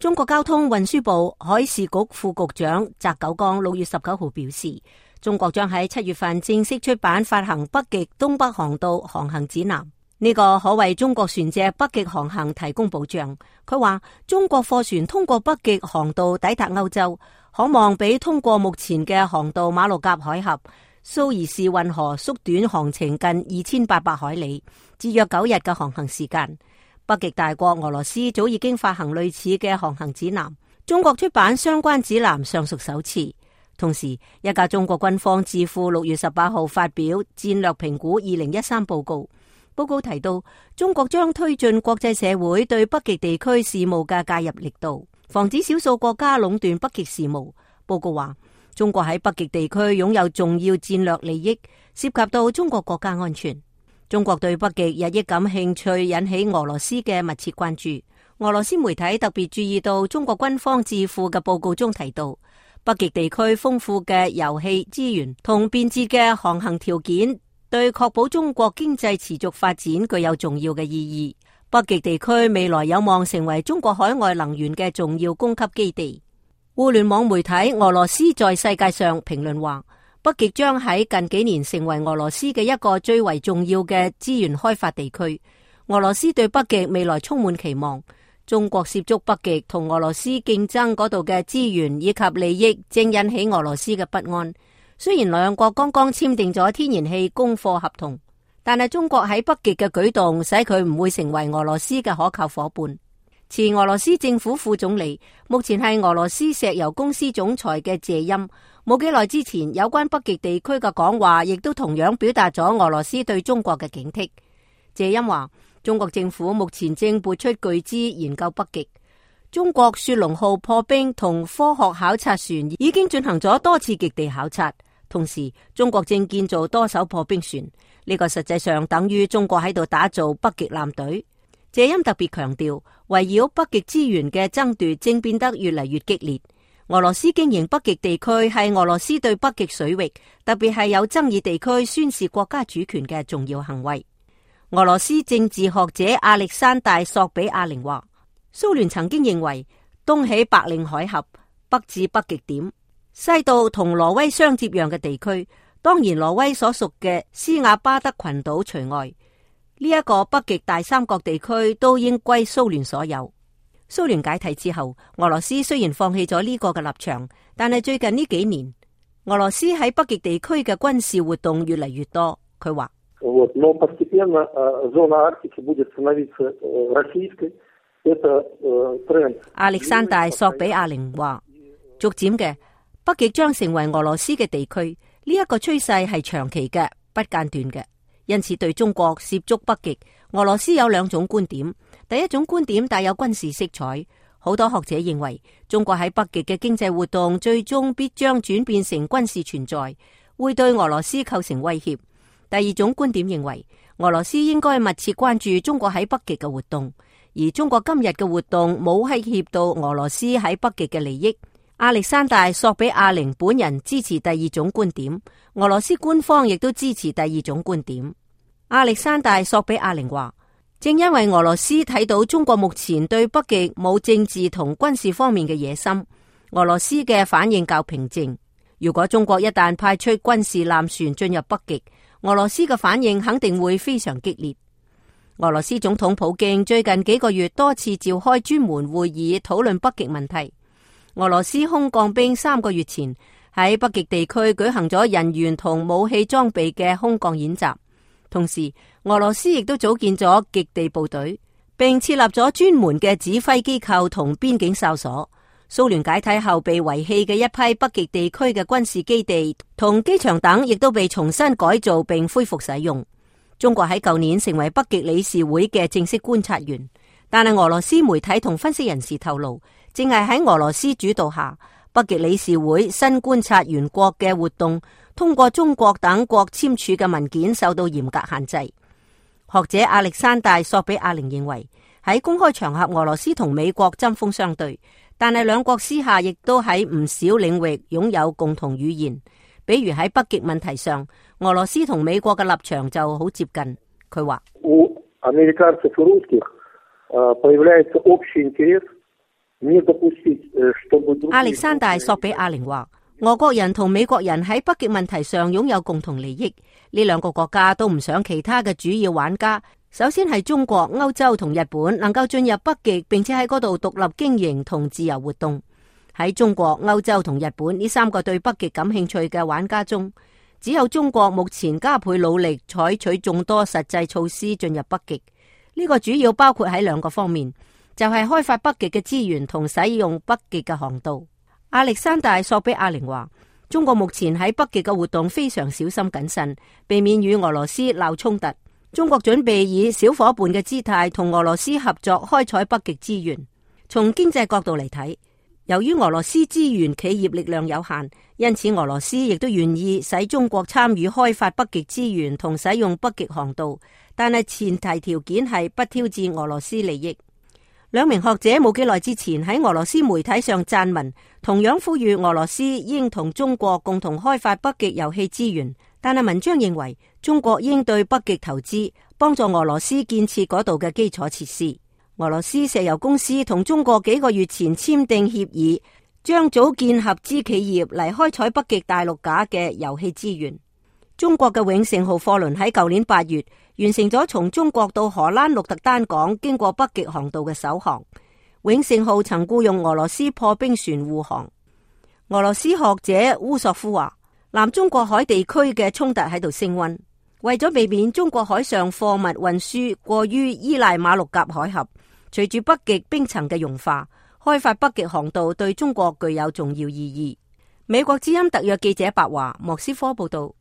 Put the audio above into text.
中國交通運輸部海事局副局長翟九江6月19號表示，中國將喺7月份正式出版發行北極東北航道航行指南，呢個可為中國船隻北極航行提供保障。佢話中國貨船通過北極航道抵達歐洲，可望比通過目前嘅航道馬六甲海峽、蘇伊士運河縮短航程近2800海里，節約9日嘅航行時間。北極大國俄羅斯早已經發行類似嘅航行指南，中國出版相關指南尚屬首次。同時，一架中國軍方智庫6月18號發表戰略評估2013報告，報告提到中國將推進國際社會對北極地區事務嘅介入力度，防止少數國家壟斷北極事務。報告話，中國喺北極地區擁有重要戰略利益，涉及到中國國家安全。中國對北極日益感興趣，引起俄羅斯嘅密切關注。俄羅斯媒體特別注意到中國軍方智庫嘅報告中提到，北極地區豐富嘅油氣資源同便捷嘅航行條件，對確保中國經濟持續發展具有重要嘅意義。北極地區未來有望成為中國海外能源嘅重要供給基地。互聯網媒體俄羅斯在世界上評論話，北極將喺近幾年成為俄羅斯嘅一個最為重要嘅資源開發地區。俄羅斯對北極未來充滿期望。中國涉足北極同俄羅斯競爭嗰度嘅資源以及利益，正引起俄羅斯嘅不安。雖然兩國剛剛簽訂咗天然氣供貨合同，但係中國喺北極嘅舉動使佢唔會成為俄羅斯嘅可靠夥伴。前俄羅斯政府副總理，目前係俄羅斯石油公司總裁嘅謝欽，冇幾耐之前有關北極地區嘅講話，亦都同樣表達咗俄羅斯對中國嘅警惕。謝欽話，中國政府目前正撥出巨資研究北極。中國雪龍號破冰同科學考察船已經進行咗多次極地考察，同時中國正建造多艘破冰船，呢個實際上等於中國喺度打造北極艦隊。謝欽特別強調，圍繞北極資源嘅爭奪正變得越嚟越激烈。俄羅斯經營北極地區係俄羅斯對北極水域，特別係有爭議地區宣示國家主權嘅重要行為。俄羅斯政治學者亞歷山大·索比亞寧話，蘇聯曾經認為東起白令海峽，北至北極點，西到同挪威相接壤嘅地區，當然挪威所屬嘅斯瓦巴德群島除外，呢一個北極大三角地區都應歸蘇聯所有。蘇聯解體之後，俄羅斯雖然放棄咗呢個嘅立場，但係最近呢幾年，俄羅斯喺北極地區嘅軍事活動越嚟越多。佢話，亞歷山大·索比亞寧話，逐漸嘅北極將成為俄羅斯嘅地區，呢一個趨勢係長期嘅、不間斷嘅。因此對中國涉足北極，俄羅斯有兩種觀點。第一種觀點帶有軍事色彩，好多學者認為中國喺北極嘅經濟活動最終必將轉變成軍事存在，會對俄羅斯構成威脅。第二種觀點認為俄羅斯應該密切關注中國喺北極嘅活動，而中國今日嘅活動冇威脅到俄羅斯喺北極嘅利益。亞歷山大·索比亞寧本人支持第二種觀點，俄羅斯官方亦都支持第二種觀點。亞歷山大·索比亞寧話，正因為俄羅斯睇到中國目前對北極冇政治同軍事方面嘅野心，俄羅斯嘅反應較平靜。如果中國一旦派出軍事艦船進入北極，俄羅斯嘅反應肯定會非常激烈。俄羅斯總統普京最近幾個月多次召開專門會議討論北極問題。俄羅斯空降兵3個月前喺北極地區舉行咗人員同武器裝備嘅空降演習，同時俄羅斯亦都組建咗極地部隊，並設立咗專門嘅指揮機構同邊境哨所。蘇聯解體後被遺棄嘅一批北極地區嘅軍事基地同機場等，亦都被重新改造並恢復使用。中國喺舊年成為北極理事會嘅正式觀察員，但係俄羅斯媒體同分析人士透露，正係喺俄羅斯主導下，北極理事會新觀察員國嘅活動通過中國等國簽署嘅文件受到嚴格限制。學者亞歷山大·索比亞寧認為，喺公開場合俄羅斯同美國針鋒相對，但係兩國私下亦都喺唔少領域擁有共同語言。比如喺北極問題上，俄羅斯同美國嘅立場就好接近。佢話，亞歷山大索比亞寧話，俄國人同美國人喺北極問題上擁有共同利益，呢兩個國家都唔想其他嘅主要玩家，首先係中國、歐洲同日本能夠進入北極，並且喺嗰度獨立經營同自由活動。喺中國、歐洲同日本呢三個對北極感興趣嘅玩家中，只有中國目前加倍努力採取眾多實際措施進入北極。呢個主要包括喺兩個方面，就係開發北極嘅資源同使用北極嘅航道。亞歷山大索比亞寧話，中國目前喺北極嘅活動非常小心謹慎，避免與俄羅斯鬧衝突。中國準備以小伙伴嘅姿態同俄羅斯合作開採北極資源。從經濟角度嚟睇，由於俄羅斯資源企業力量有限，因此俄羅斯亦都願意使中國參與開發北極資源同使用北極航道，但係前提條件係不挑戰俄羅斯利益。兩名學者冇幾耐之前喺俄羅斯媒體上撰文，同樣呼籲俄羅斯應同中國共同開發北極油氣資源，但係文章認為中國應對北極投資，幫助俄羅斯建設嗰度嘅基礎設施。俄羅斯石油公司同中國幾個月前簽訂協議，將組建合資企業嚟開採北極大陸架嘅油氣資源。中國嘅永盛號貨輪喺舊年8月完成咗從中國到荷蘭鹿特丹港經過北極航道嘅首航。永盛號曾僱用俄羅斯破冰船護航。俄羅斯學者烏索夫話，南中國海地區嘅衝突喺度升溫，為咗避免中國海上貨物運輸過於依賴馬六甲海峽，隨住北極冰層嘅融化，開發北極航道對中國具有重要意義。美國之音特約記者白華莫斯科報道。